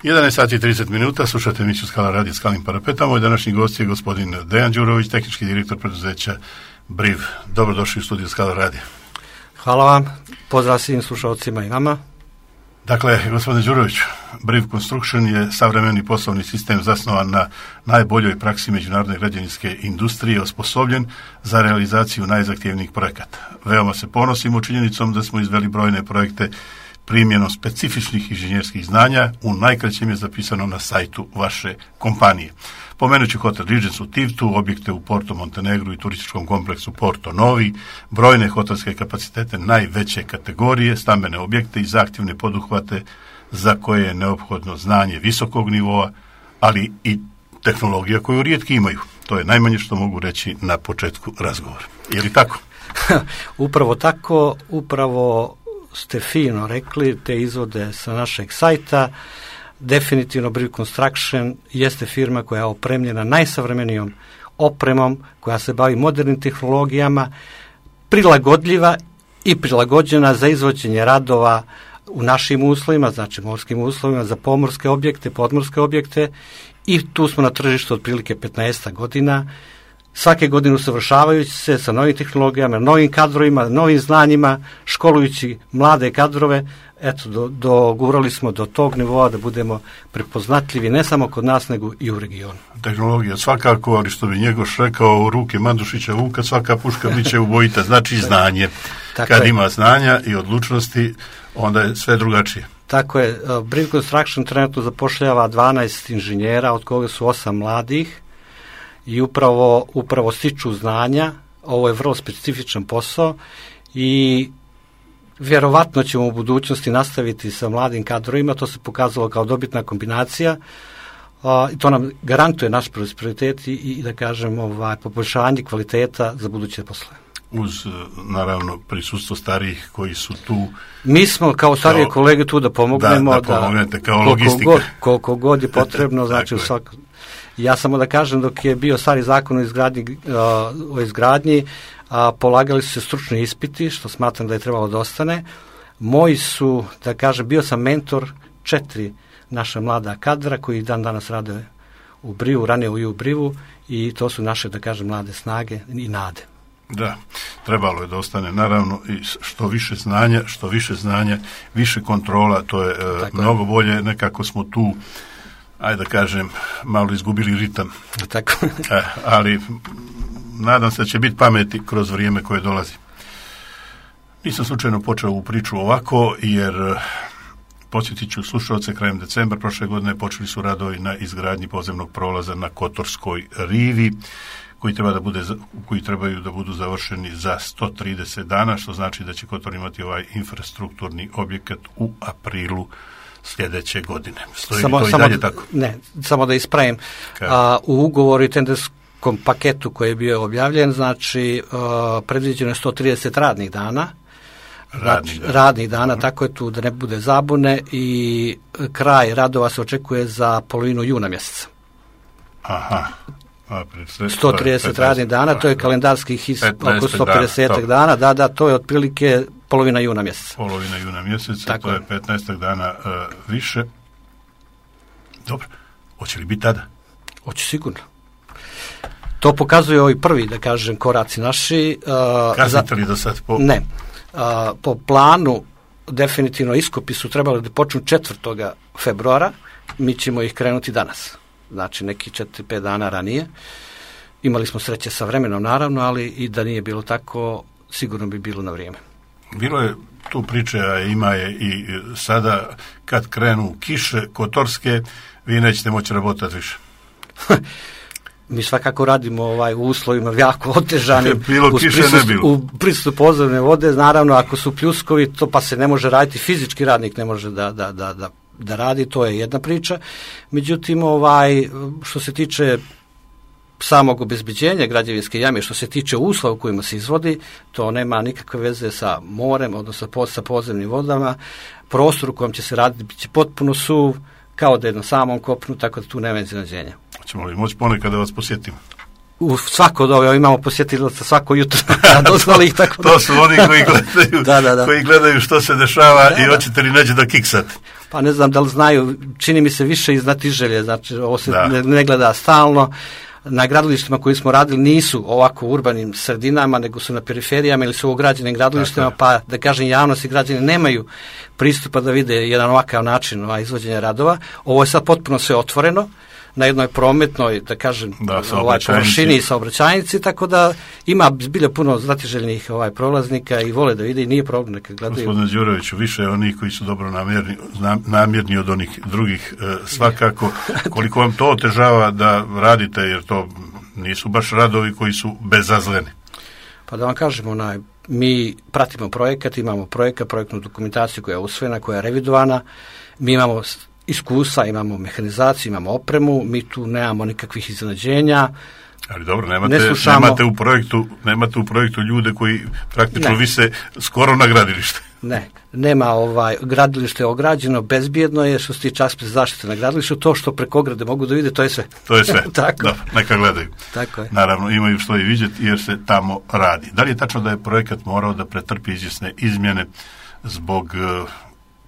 11 sati i 30 minuta, slušate emisiju Skala radio Skalnim parapetom. Moj današnji gost je gospodin Dejan Đurović, tehnički direktor preduzeća BRIV. Dobrodošli u studiju Skala radio. Hvala vam, pozdrav svim slušalcima i vama. Dakle, gospodin Đurović, BRIV Construction je savremeni poslovni sistem zasnovan na najboljoj praksi međunarodne građevinske industrije, osposobljen za realizaciju najzahtjevnijih projekata. Veoma se ponosimo činjenicom da smo izveli brojne projekte primjenom specifičnih inženjerskih znanja, u najkraćem je zapisano na sajtu vaše kompanije. Pomenući hotel Regency u Tivtu, objekte u Porto Montenegru i turističkom kompleksu Porto Novi, brojne hotelske kapacitete najveće kategorije, stambene objekte i zahtjevne poduhvate za koje je neophodno znanje visokog nivoa, ali i tehnologija koju rijetki imaju. To je najmanje što mogu reći na početku razgovora. Je li tako? Upravo tako, upravo ste fino rekli, te izvode sa našeg sajta. Definitivno BRIV Construction jeste firma koja je opremljena najsavremenijom opremom, koja se bavi modernim tehnologijama, prilagodljiva i prilagođena za izvođenje radova u našim uslovima, znači morskim uslovima, za pomorske objekte, podmorske objekte, i tu smo na tržištu otprilike 15 godina, svake godine usavršavajući se sa novim tehnologijama, novim kadrovima, novim znanjima, školujući mlade kadrove. Eto, dogurali smo do tog nivoa da budemo prepoznatljivi ne samo kod nas, nego i u regionu. Tehnologija svakako, ali što bi Njegoš rekao, u ruke Mandušića Vuka svaka puška biće ubojita, znači znanje. Kad ima znanja i odlučnosti, onda je sve drugačije. Tako je. BRIV Construction trenutno zapošljava 12 inženjera, od koga su 8 mladih, i upravo stiču znanja. Ovo je vrlo specifičan posao i vjerovatno ćemo u budućnosti nastaviti sa mladim kadrovima. To se pokazalo kao dobitna kombinacija i to nam garantuje naš prosperitet i da kažem poboljšanje kvaliteta za buduće poslove. Uz naravno prisustvo starijih koji su tu. Mi smo kao starije kolege tu da pomognemo, da pomognete kao logistika. Koliko god je potrebno, znači u svakom. Ja samo da kažem, dok je bio stari zakon o izgradnji, polagali su se stručni ispiti, što smatram da je trebalo da ostane. Moji su, da kažem, bio sam mentor 4 naša mlada kadra koji dan danas rade u BRIV-u, ranije u BRIV-u, i to su naše, da kažem, mlade snage i nade. Da, trebalo je da ostane, naravno, i što više znanja, više kontrola, to je mnogo bolje. Nekako smo tu, ajde da kažem, malo izgubili ritam. Tako. Ali nadam se da će biti pameti kroz vrijeme koje dolazi. Nisam slučajno počeo ovu priču ovako, jer podsjetit ću slušalce, krajem decembra prošle godine počeli su radovi na izgradnji podzemnog prolaza na Kotorskoj rivi, koji trebaju da budu završeni za 130 dana, što znači da će Kotor imati ovaj infrastrukturni objekat u aprilu sljedeće godine. Stoji to i dalje tako? Ne, samo da ispravim. U ugovoru i tenderskom paketu koji je bio objavljen, znači predviđeno je 130 radnih dana. Radnih dana, tako je tu da ne bude zabune, i kraj radova se očekuje za polovinu juna mjeseca. Aha. 130 radnih dana, to je kalendarskih oko 150 dana, da, to je otprilike polovina juna mjeseca. Polovina juna mjeseca, tako, to je 15 dana više. Dobro, hoće li biti tada? Hoće sigurno. To pokazuje ovi prvi, da kažem, koraci naši. Kasnite li do sad? Ne. Po planu, definitivno iskopi su trebali da počnu 4. februara, mi ćemo ih krenuti danas. Znači neki 4-5 dana ranije. Imali smo sreće sa vremenom, naravno, ali i da nije bilo tako, sigurno bi bilo na vrijeme. Bilo je tu priče, a ima je i sada, kad krenu kiše kotorske, vi nećete moći rabotati više. Mi svakako radimo u uslovima jako otežanim. Bilo kiše, ne bilo. U prisustvu podzemne vode, naravno, ako su pljuskovi, to pa se ne može raditi, fizički radnik ne može da radi, to je jedna priča. Međutim, što se tiče samog obezbeđenja građevinske jame, što se tiče uslova u kojima se izvodi, to nema nikakve veze sa morem, odnosno sa podzemnim vodama. Prostor u kojem će se raditi biće potpuno suv, kao da je na samom kopnu, tako da tu nema iznenađenja. Hoćemo li moći ponekad da vas posjetimo? U svako doba imamo posjetilaca svako jutro. To su oni koji gledaju, koji gledaju što se dešava i hoćete li neđe da kiksate. Pa ne znam da li znaju, čini mi se više iz znatiželje, znači ovo se ne gleda stalno. Na gradilištima koji smo radili nisu ovako u urbanim sredinama, nego su na periferijama ili su u ograđenim gradilištima, pa da kažem javnost i građani nemaju pristupa da vide jedan ovakav način izvođenja radova. Ovo je sad potpuno sve otvoreno na jednoj prometnoj, da kažem, površini i saobraćajnici, tako da ima zbilja puno znatiželjnih prolaznika i vole da vide i nije problem neka gledaju. Gospodine Đuroviću, više je onih koji su dobro namjerni od onih drugih svakako. Koliko vam to otežava da radite, jer to nisu baš radovi koji su bezazleni? Pa da vam kažem, mi pratimo projekat, imamo projektnu dokumentaciju koja je usvojena, koja je revidovana, mi imamo iskustva, imamo mehanizaciju, imamo opremu, mi tu nemamo nikakvih iznenađenja. Ali dobro, nemate u projektu ljude koji praktično vise skoro na gradilište. Ne, nema gradilište je ograđeno, bezbjedno je što se tiče aspekt zaštite na gradilištu, to što preko ograde mogu da vide, to je sve. To je sve, Tako. Da, neka gledaju. Tako je. Naravno, imaju što i vidjeti jer se tamo radi. Da li je tačno da je projekat morao da pretrpi izvjesne izmjene zbog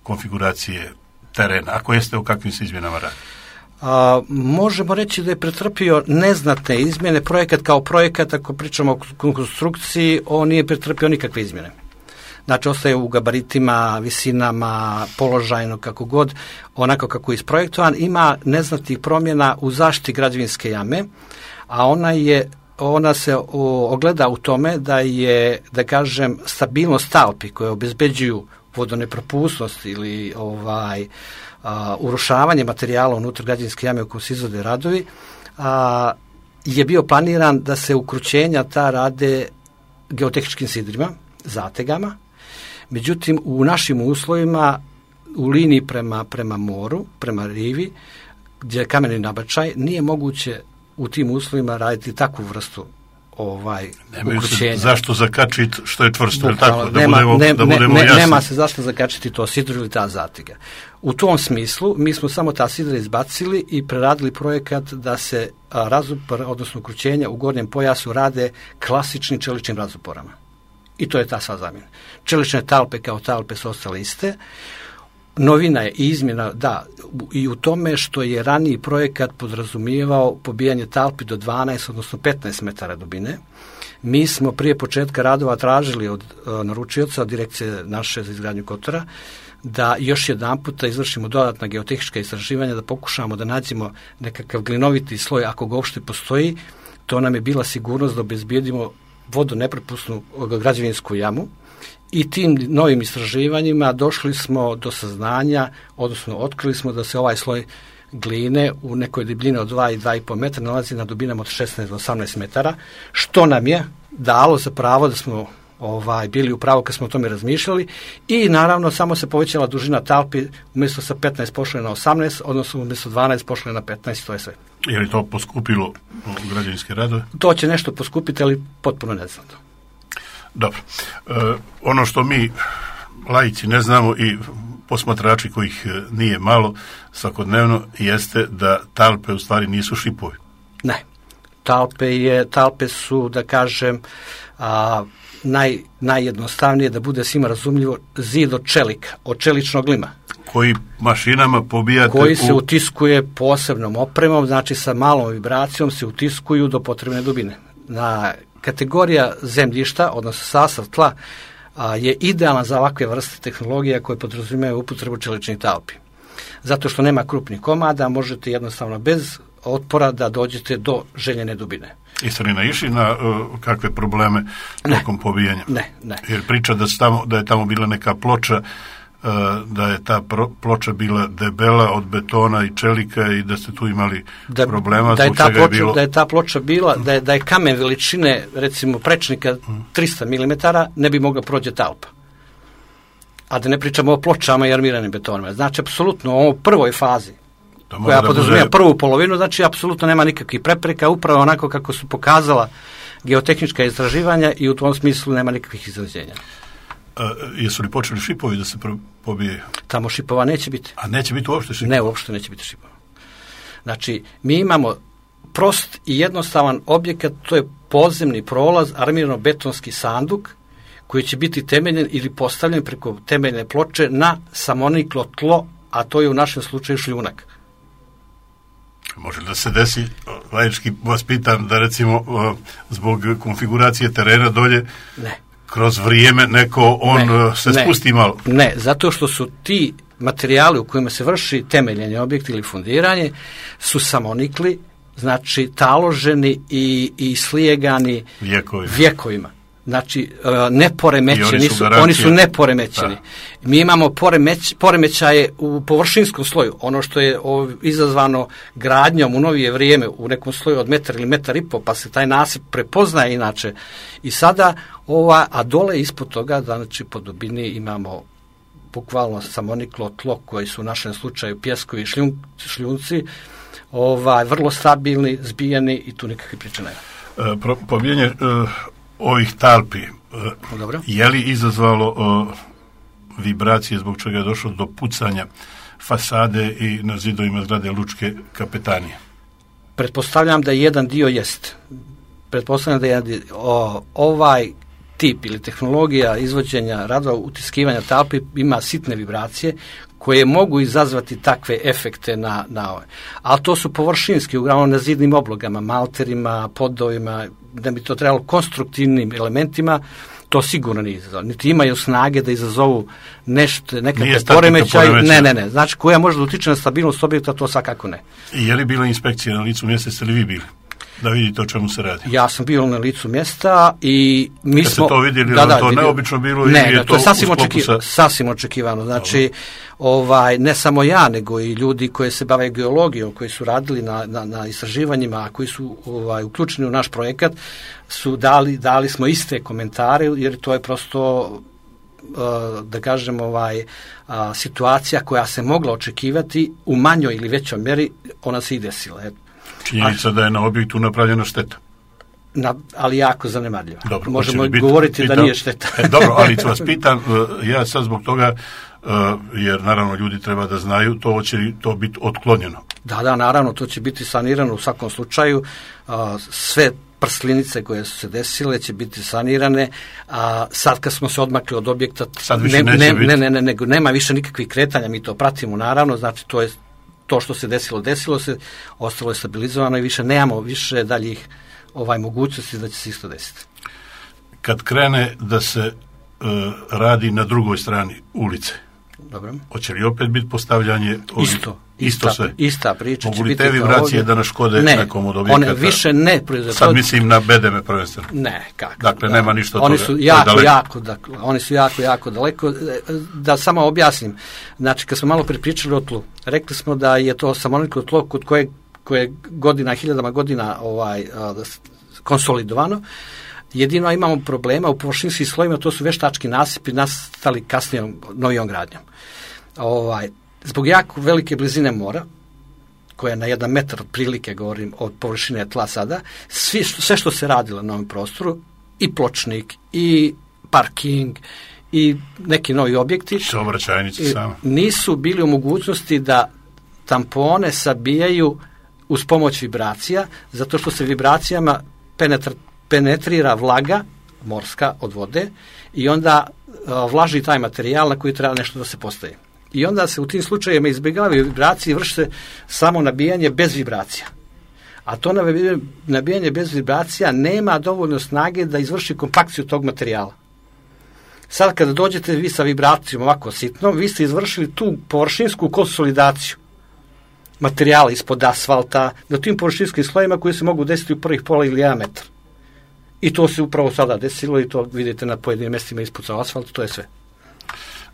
konfiguracije terena? Ako jeste, o kakvim se izmjenama radi? Možemo reći da je pretrpio neznatne izmjene. Projekat kao projekat, ako pričamo o konstrukciji, on nije pretrpio nikakve izmjene. Znači, ostaje u gabaritima, visinama, položajno, kako god, onako kako je isprojektovan. Ima neznatnih promjena u zaštiti građevinske jame, a ona se ogleda u tome da je, da kažem, stabilnost talpi koje obezbeđuju vodonepropusnost ili urušavanje materijala unutar građevinske jame u kojoj se izvode radovi, je bio planiran da se ukrućenja ta rade geotehničkim sidrima, zategama. Međutim, u našim uslovima, u liniji prema moru, prema rivi, gdje je kameni nabačaj, nije moguće u tim uslovima raditi takvu vrstu ukrućenja. Zašto zakačiti što je čvrsto, tako? Nema se zašto zakačiti to sidro ili ta zatega. U tom smislu mi smo samo ta sidra izbacili i preradili projekat da se razupor, odnosno ukrućenja u gornjem pojasu rade klasičnim čeličnim razuporama. I to je ta sva zamjena. Čelične talpe kao talpe su ostale iste. Novina je i izmjena, i u tome što je raniji projekat podrazumijevao pobijanje talpi do 12, odnosno 15 metara dubine. Mi smo prije početka radova tražili od naručioca, od direkcije naše za izgradnju kotora, da još jedan puta izvršimo dodatna geotehnička istraživanja, da pokušamo da nađemo nekakav glinoviti sloj, ako ga uopšte postoji. To nam je bila sigurnost da obezbijedimo vodonepropusnu građevinsku jamu. I tim novim istraživanjima došli smo do saznanja, odnosno otkrili smo da se ovaj sloj gline u nekoj debljini od 2 i 2,5 metra nalazi na dubinama od 16 do 18 metara, što nam je dalo za pravo da smo bili u pravu kad smo o tome razmišljali i naravno samo se povećala dužina talpi, umjesto sa 15 pošle na 18, odnosno umjesto 12 pošle na 15, to je sve. Je li to poskupilo građevinske radove? To će nešto poskupiti, ali potpuno neznatno. Dobro. Ono što mi laici ne znamo i posmatrači kojih nije malo svakodnevno jeste da talpe u stvari nisu šipovi. Ne. Talpe su, da kažem, najjednostavnije, da bude svima razumljivo, zid od čelika, od čeličnog lima. Koji mašinama pobijate? Koji se utiskuje posebnom opremom, znači sa malom vibracijom se utiskuju do potrebne dubine. Kategorija zemljišta, odnosno sastav tla, je idealna za ovakve vrste tehnologija koje podrazumijevaju upotrebu čeličnih talpi. Zato što nema krupnih komada, možete jednostavno bez otpora da dođete do željene dubine. Jeste li naišli na kakve probleme tokom pobijanja? Ne. Jer priča da je tamo bila neka ploča, da je ta ploča bila debela od betona i čelika i da ste tu imali problema. Da je ta ploča bila, da je kamen veličine, recimo prečnika 300 mm, ne bi mogla prođe talpa. A da ne pričamo o pločama i armiranim betonima. Znači, apsolutno, u ovoj prvoj fazi, koja podrazumijeva prvu polovinu, znači, apsolutno nema nikakvih prepreka, upravo onako kako su pokazala geotehnička istraživanja i u tom smislu nema nikakvih izraženja. Jesu li počeli šipovi da se pobijaju? Tamo šipova neće biti. A neće biti uopšte šipova? Ne, uopšte neće biti šipova. Znači, mi imamo prost i jednostavan objekat, to je podzemni prolaz, armirano-betonski sanduk, koji će biti temeljen ili postavljen preko temeljne ploče na samoniklo tlo, a to je u našem slučaju šljunak. Može da se desi, laički vas pitam, da recimo zbog konfiguracije terena dolje, ne, kroz vrijeme neko se spusti malo? Ne, zato što su ti materijali u kojima se vrši temeljenje objekta ili fundiranje su samonikli, znači taloženi i slijegani vjekovima. Znači, neporemećeni su, oni su neporemećeni. Da. Mi imamo poremećaje u površinskom sloju, ono što je izazvano gradnjom u novije vrijeme u nekom sloju od metar ili metar i po, pa se taj nasip prepoznaje inače. I sada, a dole ispod toga, znači po dubini imamo bukvalno samoniklo tlo koji su u našem slučaju pjeskovi i šljunci, vrlo stabilni, zbijeni i tu nikakve priče nema. Pobijanje ovih talpi, dobro, je li izazvalo vibracije zbog čega je došlo do pucanja fasade i na zidovima zgrade Lučke kapetanije? Pretpostavljam da jedan dio jest. Pretpostavljam da ovaj tip ili tehnologija izvođenja radova utiskivanja talpi ima sitne vibracije koje mogu izazvati takve efekte na ove. Ali to su površinski, uglavnom na zidnim oblogama, malterima, podovima, da bi to trebalo konstruktivnim elementima, to sigurno nije izazvalo. Niti imaju snage da izazovu nekakve poremećaj. Ne. Znači, koja može da utiče na stabilnost objekta, to svakako ne. I je li bila inspekcija na licu mjesta, ste li vi bili? Da vidite o čemu se radi. Ja sam bio na licu mjesta i mi kad smo... ste to vidjeli, to neobično bilo ili je to sasvim očekivano. Znači, ne samo ja, nego i ljudi koji se bave geologijom, koji su radili na istraživanjima, a koji su uključeni u naš projekat, su dali smo iste komentare, jer to je prosto, da kažem, situacija koja se mogla očekivati u manjoj ili većoj mjeri, ona se i desila. Činjenica da je na objektu napravljena šteta. Ali jako zanemarljiva. Dobro, možemo govoriti da nije šteta. Dobro, ali vas pitam, ja sad zbog toga, jer naravno ljudi treba da znaju, to će to biti otklonjeno. Da, naravno, to će biti sanirano u svakom slučaju. Sve prslinice koje su se desile će biti sanirane, a sad kad smo se odmakli od objekta, nego nema više nikakvih kretanja, mi to pratimo naravno, znači to je to što se desilo se, ostalo je stabilizovano i više nemamo više daljih mogućnosti da će se isto desiti. Kad krene da se radi na drugoj strani ulice, dobro, hoće li opet biti postavljanje isto sve? Ista priča. Mogu li te vibracije da naškode nekom od objekata? One više ne proizvode. Sad mislim na bedeme prvenstveno. Ne, kako. Dakle, nema ništa od oni toga. Oni su jako daleko. Da samo objasnim. Znači, kad smo malo pričali o tlu, rekli smo da je to samoniklo tlo kod koje hiljadama godina konsolidovano. Jedino imamo problema u površinskim slojima, to su veštački nasipi nastali kasnijom novijom gradnjom. Zbog jako velike blizine mora, koja je na 1 metar otprilike, govorim, od površine tla sada, sve što se radilo na ovom prostoru, i pločnik, i parking, i neki novi objekti, nisu bili u mogućnosti da tampone sabijaju uz pomoć vibracija, zato što se vibracijama penetrira vlaga morska od vode i onda vlaži taj materijal na koji treba nešto da se postavi. I onda se u tim slučajevima izbjegavaju vibracije i vrši se samo nabijanje bez vibracija. A to nabijanje bez vibracija nema dovoljno snage da izvrši kompakciju tog materijala. Sad kada dođete vi sa vibracijom ovako sitnom, vi ste izvršili tu površinsku konsolidaciju materijala ispod asfalta na tim površinskim slojima koji se mogu desiti u prvih pola ili 1 metar. I to se upravo sada desilo i to vidite na pojedinim mjestima ispucao asfalt, to je sve.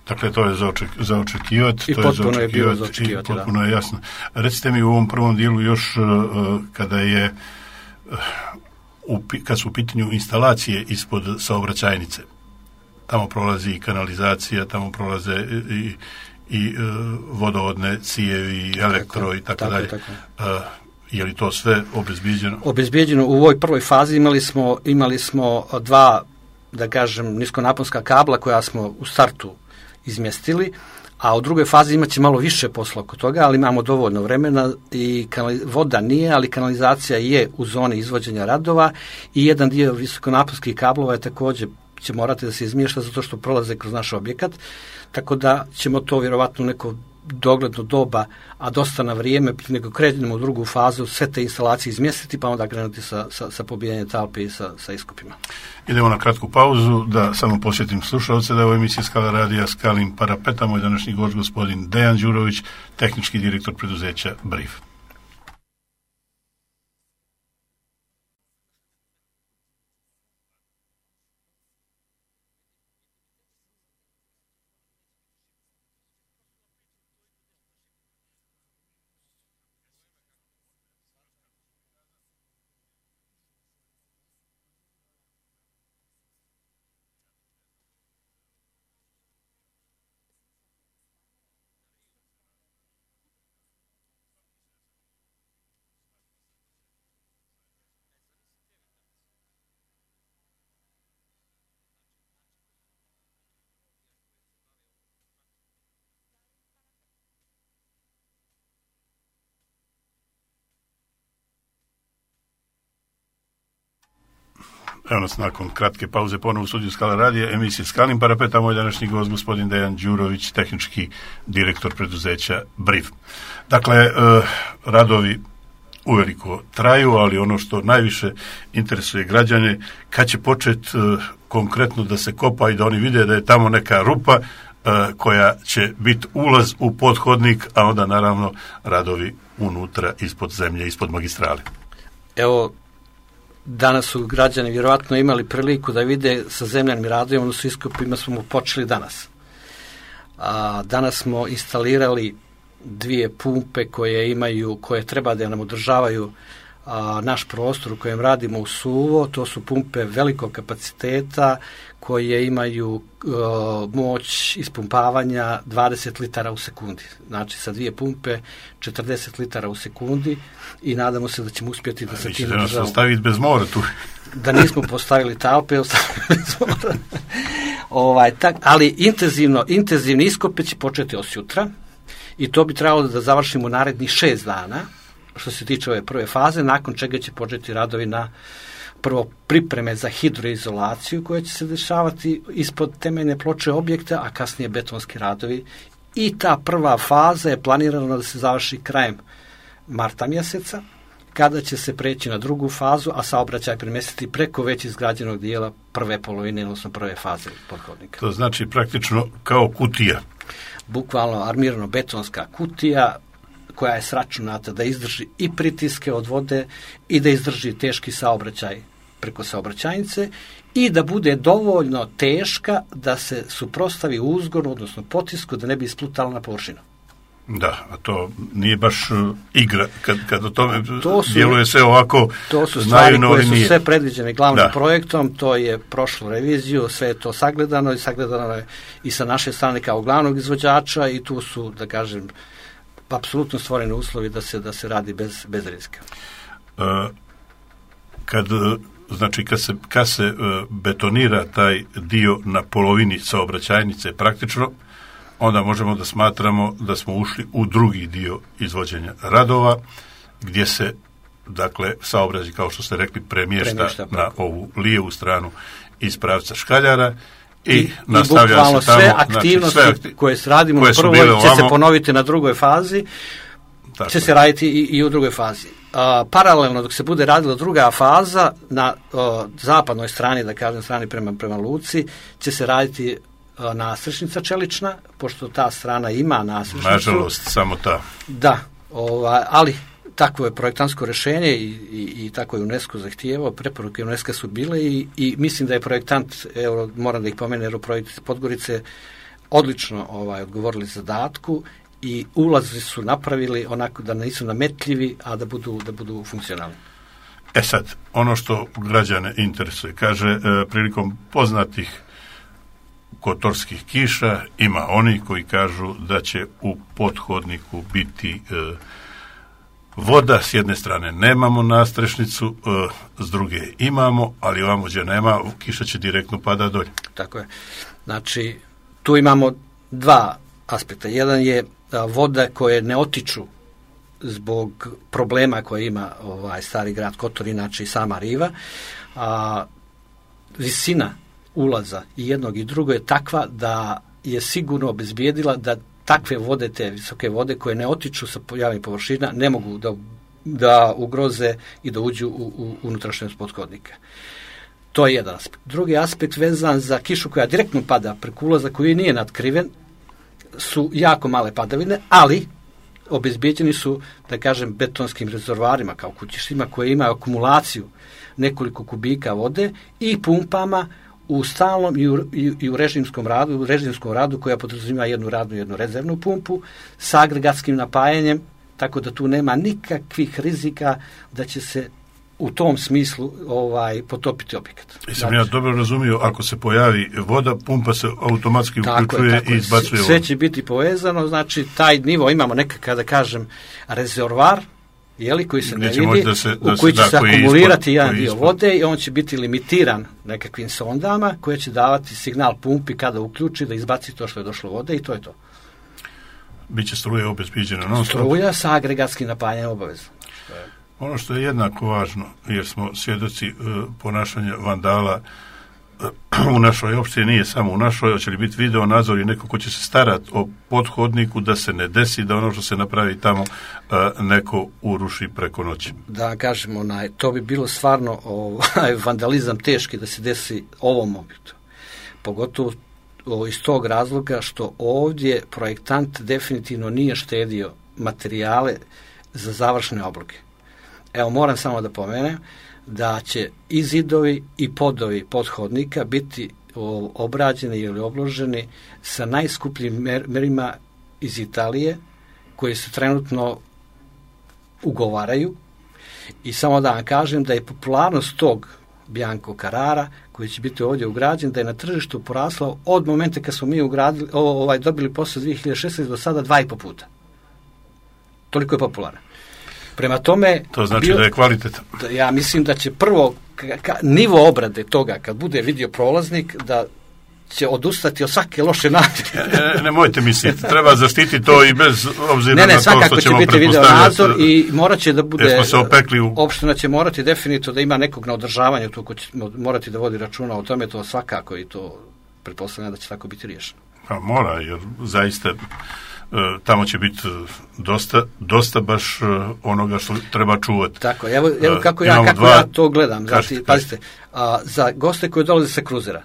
Dakle, to je za očekivati. I potpuno je bilo za očekivati. Potpuno je jasno. Recite mi u ovom prvom dijelu još kad su u pitanju instalacije ispod saobraćajnice. Tamo prolazi i kanalizacija, tamo prolaze i vodovodne cijevi, i elektro i tako dalje. Je li to sve obezbijeđeno? Obezbijeđeno. U ovoj prvoj fazi imali smo 2, da kažem, niskonaponska kabla koja smo u startu izmjestili, a u drugoj fazi imat će malo više posla oko toga, ali imamo dovoljno vremena i voda nije, ali kanalizacija je u zoni izvođenja radova i jedan dio visokonaponskih kablova je također će morati da se izmješta zato što prolaze kroz naš objekat, tako da ćemo to vjerovatno neko dogledno doba, a dosta na vrijeme, nego krenemo u drugu fazu, sve te instalacije izmjestiti, pa onda krenuti sa pobijanjem talpi i sa iskopima. Idemo na kratku pauzu, da samo posjetim slušalce da je u emisiji Skala radija Skalim Parapeta, moj današnji gost gospodin Dejan Đurović, tehnički direktor preduzeća Briv. Evo nas nakon kratke pauze ponovo u studiju Skala radija, emisije Skalim Parapeta, moj današnji gost gospodin Dejan Đurović, tehnički direktor preduzeća Briv. Dakle, radovi uveliko traju, ali ono što najviše interesuje građane, kad će početi konkretno da se kopa i da oni vide da je tamo neka rupa koja će biti ulaz u pothodnik, a onda naravno radovi unutra, ispod zemlje, ispod magistrale. Evo, danas su građani vjerovatno imali priliku da vide sa zemljanim radovima, odnosno iskopima smo počeli danas. Danas smo instalirali 2 pumpe koje treba da nam održavaju naš prostor u kojem radimo u suvo. To su pumpe velikog kapaciteta koje imaju moć ispumpavanja 20 litara u sekundi. Znači sa 2 pumpe 40 litara u sekundi i nadamo se da ćemo uspjeti da se tim državamo. Vi ćete nas ostaviti bez mora tu. Da nismo postavili talpe, ostavili bez mora. Ali intenzivni iskope će početi od sutra i to bi trebalo da završimo narednih 6 dana što se tiče ove prve faze, nakon čega će početi radovi na prvo pripreme za hidroizolaciju koja će se dešavati ispod temeljne ploče objekta, a kasnije betonski radovi. I ta prva faza je planirana da se završi krajem marta mjeseca, kada će se preći na drugu fazu, a saobraćaj premjestiti preko već izgrađenog dijela prve polovine, odnosno prve faze pothodnika. To znači praktično kao kutija. Bukvalno armirano betonska kutija koja je sračunata da izdrži i pritiske od vode i da izdrži teški saobraćaj preko saobraćajnice i da bude dovoljno teška da se suprotstavi uzgonu, odnosno potisku, da ne bi isplutala na površinu. Da, a to nije baš igra, kad o tome djeluje sve ovako. To su stvari koje su sve predviđene glavnim projektom, to je prošlo reviziju, sve je to sagledano je i sa naše strane kao glavnog izvođača i tu su, da kažem, apsolutno stvoreni uslovi da se radi bez rizika. Kad se betonira taj dio na polovini saobraćajnice praktično, onda možemo da smatramo da smo ušli u drugi dio izvođenja radova, gdje se, dakle, saobraćaj, kao što ste rekli, premješta na ovu lijevu stranu iz pravca Škaljara i nastavlja se tamo. Sve aktivnosti koje radimo na prvoj će se ponoviti na drugoj fazi, će se raditi i u drugoj fazi. Paralelno dok se bude radila druga faza, na zapadnoj strani, da kažem, strani prema luci, će se raditi nastrešnica čelična, pošto ta strana ima nastrešnicu. Nažalost, samo ta. Da, ali takvo je projektantsko rješenje i tako je UNESCO zahtijevao, preporuke UNESCO su bile i mislim da je projektant, evo, moram da ih pomenem, Aeroprojekt Podgorice odlično odgovorili zadatku i ulazi su napravili onako da nisu nametljivi, a da budu funkcionalni. Sad, ono što građane interesuje, kaže, prilikom poznatih kotorskih kiša ima oni koji kažu da će u pothodniku biti voda, s jedne strane nemamo nastrešnicu, s druge imamo, ali ovamo gdje nema, kiša će direktno pada dolje. Tako je. Znači, tu imamo 2 aspekta. Jedan je voda koje ne otiču zbog problema koje ima stari grad Kotor, inače i sama riva. Visina ulaza i jednog i drugo je takva da je sigurno obezbijedila da takve vode, te visoke vode koje ne otiču sa javnih površina, ne mogu da ugroze i da uđu u unutrašnjost pothodnika. To je jedan aspekt. Drugi aspekt vezan za kišu koja direktno pada preko ulaza koji nije natkriven, su jako male padavine, ali obezbeđeni su, da kažem, betonskim rezervoarima kao kućištima koje imaju akumulaciju nekoliko kubika vode i pumpama u stalnom i u režimskom radu koja podrazumijeva jednu radnu i jednu rezervnu pumpu sa agregatskim napajanjem, tako da tu nema nikakvih rizika da će se u tom smislu potopiti objekat. Sam ja dobro razumio, ako se pojavi voda, pumpa se automatski uključuje i izbacuje vodu. Sve će biti povezano, znači taj nivo, imamo nekakav, da kažem, rezervoar, koji se ne vidi, u koji će se akumulirati jedan dio vode i on će biti limitiran nekakvim sondama koje će davati signal pumpi kada uključi da izbaci to što je došlo vode i to je to. Biće struja obezbeđena non stop. Struja sa agregatskim napajanjem obavezno. Ono što je jednako važno, jer smo svjedoci ponašanja vandala u našoj opštini, nije samo u našoj, hoće li biti video nadzor i neko ko će se starati o pothodniku da se ne desi da ono što se napravi tamo neko uruši preko noći. Da kažemo, to bi bilo stvarno vandalizam teški da se desi ovom objektu. Pogotovo iz tog razloga što ovdje projektant definitivno nije štedio materijale za završne obloge. Evo, moram samo da pomenem da će i zidovi i podovi pothodnika biti obrađeni ili obloženi sa najskupljim merima iz Italije koji se trenutno ugovaraju i samo da vam kažem da je popularnost tog Bianco Carrara koji će biti ovdje ugrađen, da je na tržištu porasla od momenta kad smo mi dobili posao 2016 do sada 2,5 puta. Toliko je popularan. Prema tome... To znači da je kvalitetan. Ja mislim da će prvo nivo obrade toga, kad bude vidio prolaznik, da će odustati od svake loše namjere. Nemojte misliti, treba zaštiti to i bez obzira na to što ćemo pretpostavljati. Svakako će biti video nadzor i morat će da bude... Smo se opekli opština će morati definitivno da ima nekog na održavanju, to ko će morati da vodi računa o tome, to svakako i to pretpostavljam da će tako biti riješeno. Pa mora, jer zaista... tamo će biti dosta baš onoga što treba čuvati. Tako, evo kako ja to gledam. Znači, pazite, za goste koji dolaze sa kruzera,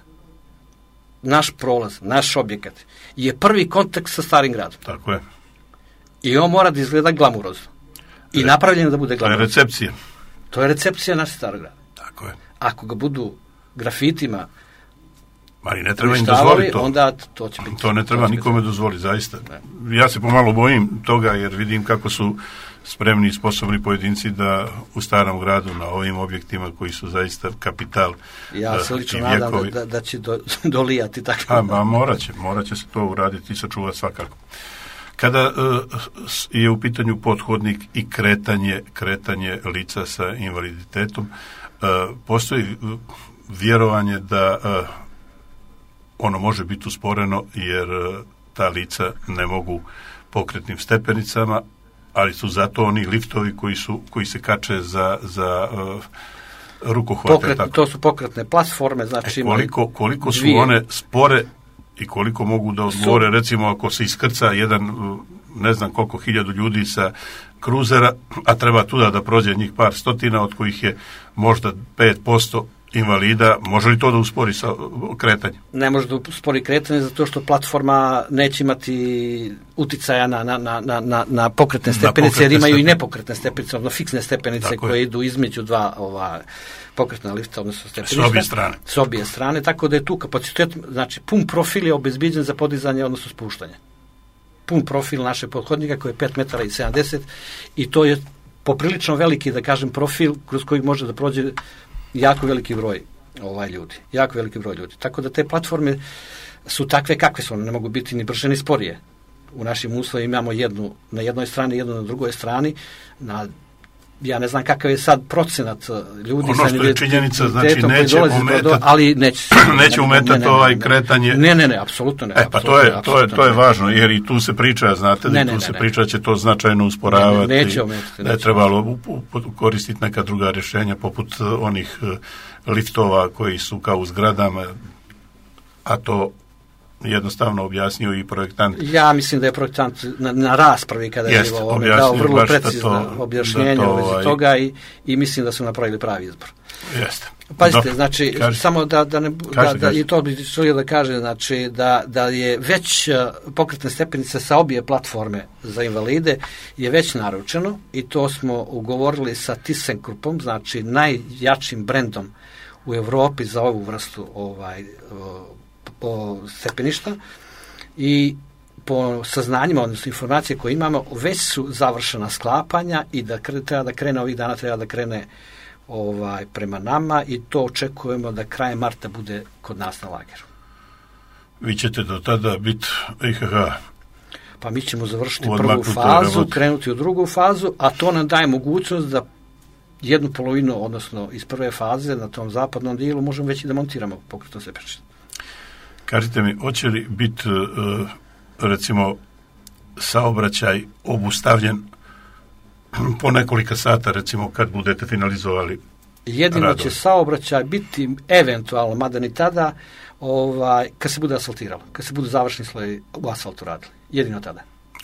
naš prolaz, naš objekat je prvi kontakt sa starim gradom. Tako je. I on mora da izgleda glamurozno. I napravljeno da bude glamurozno. To je recepcija. To je recepcija našeg starog grada. Tako je. Ako ga budu grafitima ali ne treba im dozvoliti to. Onda to će biti. To ne treba nikome dozvoliti, zaista. Ne. Ja se pomalo bojim toga jer vidim kako su spremni i sposobni pojedinci da u starom gradu na ovim objektima koji su zaista kapital. Ja se lično nadam da će dolijati tako. Morat će se to uraditi i sačuvati svakako. Kada je u pitanju pothodnik i kretanje lica sa invaliditetom, postoji vjerovanje da ono može biti usporeno jer ta lica ne mogu pokretnim stepenicama, ali su zato oni liftovi koji se kače za rukohvate. To su pokretne platforme, znači koliko su one spore i koliko mogu da odgovore, recimo ako se iskrca jedan ne znam koliko 1000 ljudi sa kruzera, a treba tuda da prođe njih par stotina, od kojih je možda 5% invalida, može li to da uspori sa kretanjem? Ne može da uspori kretanje zato što platforma neće imati uticaja na pokretne stepenice, jer imaju i nepokretne stepenice, odnosno fiksne stepenice koje idu između dva pokretna lifta, odnosno stepeništa. S obje strane, tako da je tu kapacitet, znači pun profil je obezbiđen za podizanje, odnosno spuštanje. Pun profil našeg pothodnika koji je 5,70 m i to je poprilično veliki, da kažem, profil kroz koji može da prođe jako veliki broj ljudi. Tako da te platforme su takve kakve su, one ne mogu biti ni brže ni sporije. U našim uslovima imamo jednu na jednoj strani, jednu na drugoj strani. Ja ne znam kakav je sad procenat ljudi. Ono što je činjenica, znači neće umetati kretanje. Ne, apsolutno ne. Pa to je važno, jer i tu se priča, znate, tu se priča će to značajno usporavati. Neće ometati. Da je trebalo koristiti neka druga rješenja, poput onih liftova koji su kao u zgradama, a to jednostavno objasnio i projektant. Ja mislim da je projektant na raspravi kada je dao vrlo precizno objašnjenje u vezi toga i mislim da su napravili pravi izbor. Jeste. Pazite, znači, samo i to bi želio da kaže, znači, da je već pokretne stepenice sa obje platforme za invalide je već naručeno i to smo ugovorili sa ThyssenKruppom, znači najjačim brendom u Europi za ovu vrstu stepeništa i po saznanjima, odnosno informacije koje imamo, već su završena sklapanja i da treba da krene ovih dana, treba da krene prema nama i to očekujemo da krajem marta bude kod nas na lageru. Vi ćete do tada biti IHH? Pa mi ćemo završiti prvu fazu, krenuti u drugu fazu, a to nam daje mogućnost da jednu polovinu, odnosno iz prve faze na tom zapadnom dijelu možemo već i da montiramo pokretno stepenište. Kažite mi, hoće li biti recimo saobraćaj obustavljen po nekolika sata, recimo kad budete finalizovali jedino radove? Će saobraćaj biti eventualno, mada ni tada, kad se bude asfaltiralo, kad se budu završni sloj u asfaltu radili. Jedino tada.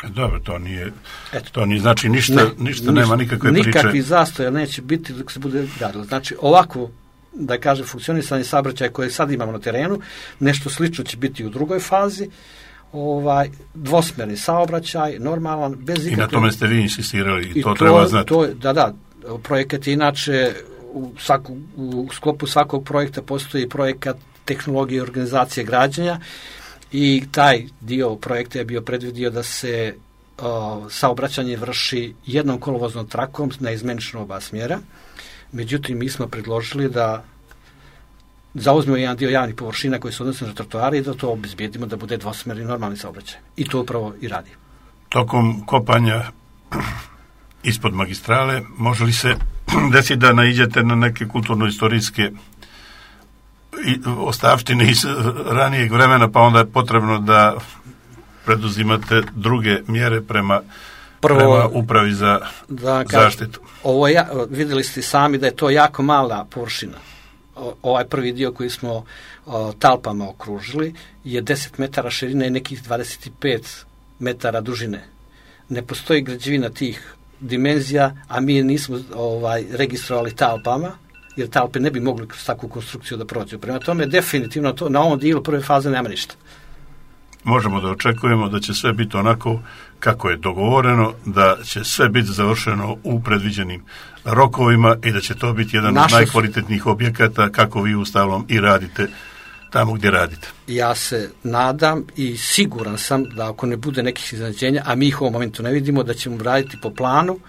Dobro, to nije znači ništa nema nikakve priče. Nikakvi zastoja neće biti dok se bude radilo. Znači ovako, da kažem, funkcionisanje saobraćaja koje sad imamo na terenu, nešto slično će biti u drugoj fazi, dvosmerni saobraćaj, normalan, bez ikakve... I na tome ste vi insistirali i to treba znati. Da, projekat je inače, u sklopu svakog projekta postoji projekat tehnologije i organizacije građenja i taj dio projekta je bio predvidio da se saobraćanje vrši jednom kolovoznom trakom na izmenično oba smjera. Međutim, mi smo predložili da zauzmemo jedan dio javnih površina koji se odnose na trotoare i da to obezbijedimo da bude dvosmerni normalni saobraćaj. I to upravo i radi. Tokom kopanja ispod magistrale može li se desiti da naiđete na neke kulturno-istorijske ostavštine iz ranijeg vremena, pa onda je potrebno da preduzimate druge mjere prema upravi za zaštitu? Vidjeli ste sami da je to jako mala površina. Ovaj prvi dio koji smo talpama okružili je 10 metara širine i nekih 25 metara dužine. Ne postoji građevina tih dimenzija, a mi nismo registrovali talpama, jer talpe ne bi mogli kroz takvu konstrukciju da prođu. Prema tome, definitivno na ovom dijelu prve faze nema ništa. Možemo da očekujemo da će sve biti onako kako je dogovoreno, da će sve biti završeno u predviđenim rokovima i da će to biti jedan od najkvalitetnijih objekata kako vi uostalom i radite tamo gdje radite. Ja se nadam i siguran sam da ako ne bude nekih iznenađenja, a mi ih u ovom momentu ne vidimo, da ćemo raditi po planu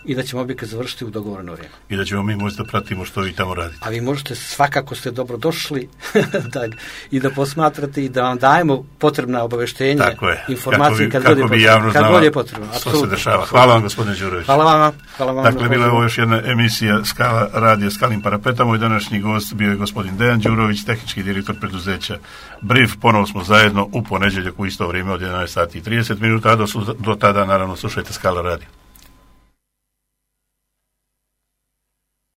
i da ćemo objekat završiti u dogovoreno vrijeme. I da ćemo mi možda da pratimo što vi tamo radite. A vi možete, svakako ste dobro došli i da posmatrate i da vam dajemo potrebna obaveštenja, informacije kad god je potrebno. Što se dešava. Hvala vam, gospodine Đurović. Hvala vam. Dakle, bila je ovo još jedna emisija Skala radija Skalim Parapetom. Moj današnji gost bio je gospodin Dejan Đurović, tehnički direktor preduzeća Briv. Ponovo smo zajedno u ponedjeljak u isto vrijeme od 11:30, a do tada naravno slušajte Skala radio.